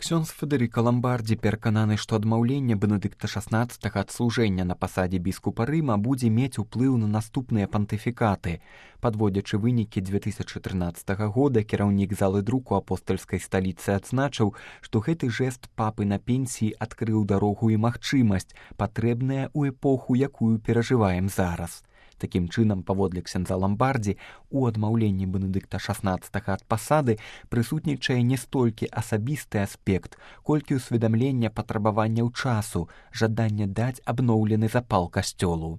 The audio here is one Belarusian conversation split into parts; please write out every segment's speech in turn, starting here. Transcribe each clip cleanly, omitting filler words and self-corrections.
Ксёндз Федэрыка Ламбардзі перакананы, што адмаўленне Бенедыкта XVI ад служэння на пасадзе біскупа Рыма будзе мець уплыў на наступныя пантыфікаты. Падводзячы вынікі 2013 года, кіраўнік залы друку апостальскай сталіцы адзначыў, што гэты жэст папы на пенсіі адкрыў дарогу і магчымасць, патрэбная ў эпоху, якую перажываем зараз. Такім чынам, паводле ксяндза Ламбардзі, у адмаўленні Бенедыкта XVI ад пасады прысутнічае не столькі асабісты аспект, колькі ўсведамлення патрабаванняў часу, жаданне даць абноўлены запал касцёлу.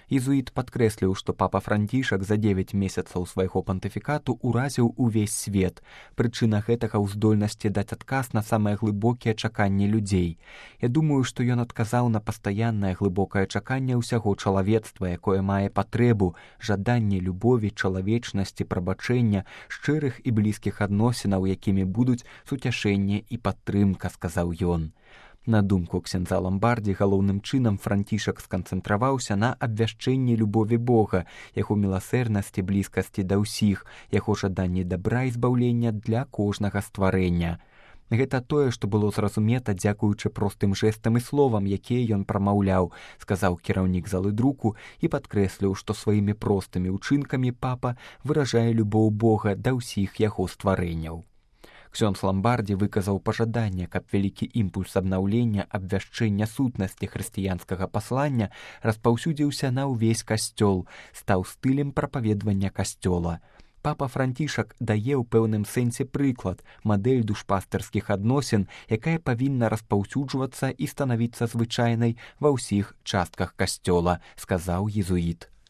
Езуіт падкрэсліў, што папа Францішак за 9 месяцаў свайго пантыфікату ўразіў увесь свет. Прычына гэтага ў здольнасці даць адказ на самыя глыбокія чаканні людзей. Я думаю, што ён адказаў на пастаяннае глыбокае чаканне ўсяго чалавецтва, якое мае патрэбу, жаданне любові, чалавечнасці, прабачэння, шчырых і блізкіх адносінаў, якімі будуць суцяшэнне і падтрымка, сказаў ён. На думку ксяндза Ламбардзі, галоўным чынам Францішак сканцэнтраваўся на абвяшчэнні любові Бога, яго міласэрнасці, блізкасці да ўсіх, яго жаданні дабра і збаўлення для кожнага стварэння. Гэта тое, што было зразумета дзякуючы простым жэстам і словам, якія ён прамаўляў, сказаў кіраўнік залы друку і падкрэсліў, што сваімі простымі ўчынкамі папа выражае любоў Бога да ўсіх яго стварэнняў. Ксёндз Ламбардзі выказаў пажаданне, каб вялікі імпульс абнаўлення, абвяшчэння сутнасці хрысціянскага паслання распаўсюдзіўся на ўвесь касцёл, стаў стылем прапаведвання касцёла. Папа Францішак дае ў пэўным сэнсе прыклад, мадэль душпастырскіх адносін, якая павінна распаўсюджвацца і станавіцца звычайнай ва ўсіх частках касцёла, сказаў езуіт.